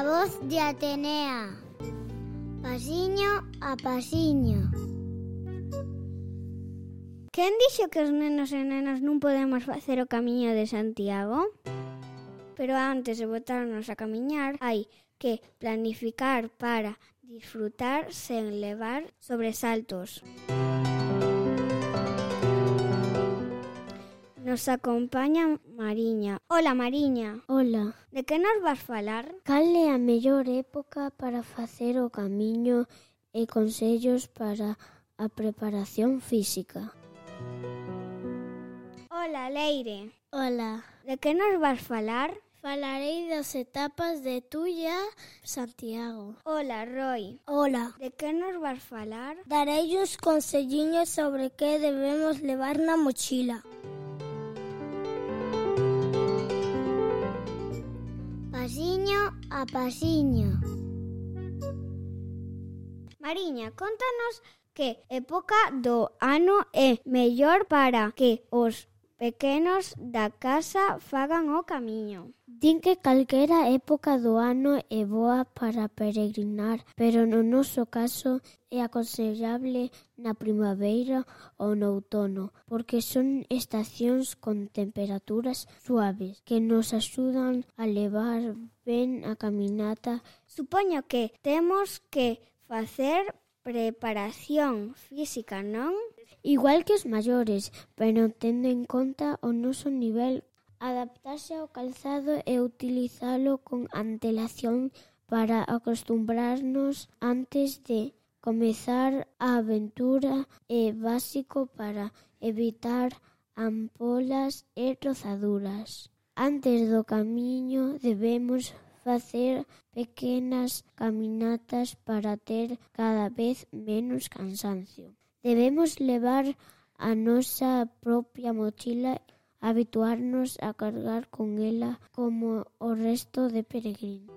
voz de Atenea, pasiño a pasiño. Quen dixo que os nenos e nenas non podemos facer o camiño de Santiago? Pero antes de botarnos a camiñar, hai que planificar para disfrutar sen levar sobresaltos. Nos acompaña Mariña. Hola, Mariña. Hola. De que nos vas falar? Cal é a mellor época para facer o camiño e consellos para a preparación física? Hola, Leire. Hola. De que nos vas falar? Falarei das etapas de Tuia Santiago. Hola, Roy. Hola. De que nos vas falar? Darei uns conselliños sobre que debemos levar na mochila. Pasiño a pasiño. Mariña, contanos que época do ano é mellor para que os pequenos da casa fagan o camiño. Din que calquera época do ano é boa para peregrinar, pero no noso caso é aconsellable na primavera ou no outono, porque son estacións con temperaturas suaves que nos axudan a levar ben a caminata. Supoño que temos que facer preparación física, non? Igual que os maiores, pero tendo en conta o noso nivel, adaptarse ao calzado e utilizalo con antelación para acostumbrarnos antes de comezar a aventura é básico para evitar ampolas e rozaduras. Antes do camiño debemos facer pequenas caminatas para ter cada vez menos cansancio. Debemos levar a nosa propia mochila, habituarnos a cargar con ela como o resto de peregrinos.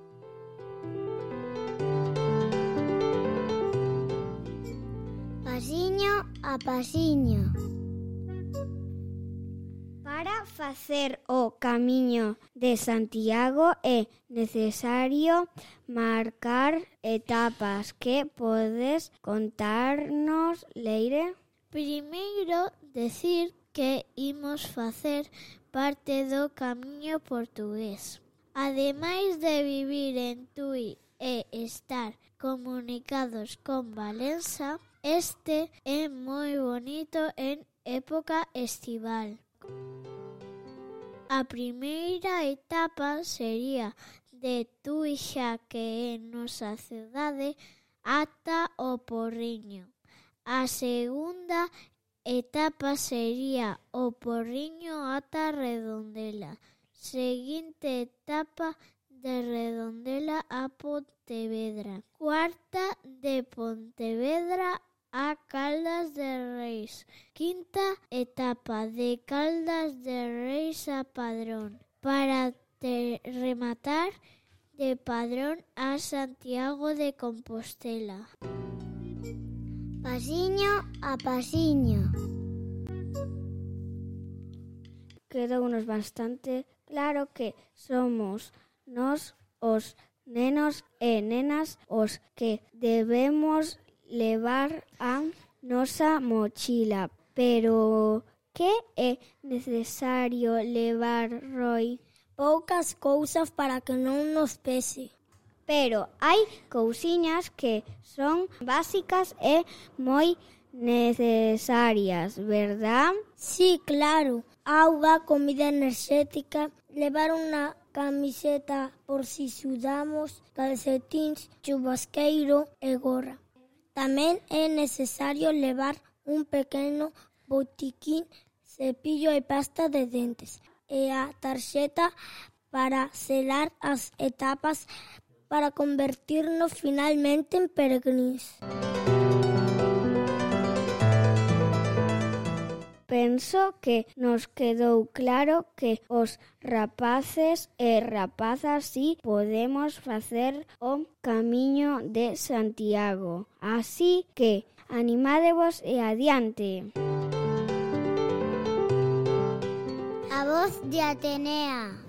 Pasiño a pasiño. Para facer o camiño de Santiago é necesario marcar etapas. Que podes contarnos, Leire? Primeiro, decir que imos facer parte do camiño portugués. Ademais de vivir en Tui e estar comunicados con Valença, este é moi bonito en época estival. A primeira etapa sería de Tuixa, que é nosa cidade, ata o Porriño. A segunda etapa sería o Porriño ata Redondela. Seguinte etapa de Redondela a Pontevedra. Cuarta de Pontevedra a Caldas de Reis. Quinta etapa de Caldas de Reis a Padrón. Para rematar de Padrón a Santiago de Compostela. Pasiño a pasiño. Quedounos bastante claro que somos nós, os nenos e nenas, os que debemos levar a nosa mochila. Pero que é necesario levar, Roy? Poucas cousas para que non nos pese. Pero hai cousiñas que son básicas e moi necesarias, verdad? Sí, claro. Auga, comida enerxética, levar unha camiseta por si sudamos, calcetíns, chubasqueiro e gorra. Tamén é necesario levar un pequeno botiquín, cepillo e pasta de dentes e a tarxeta para selar as etapas para convertirnos finalmente en peregrins. Penso que nos quedou claro que os rapaces e rapazas si podemos facer o camiño de Santiago. Así que animádevos e adiante. A voz de Atenea.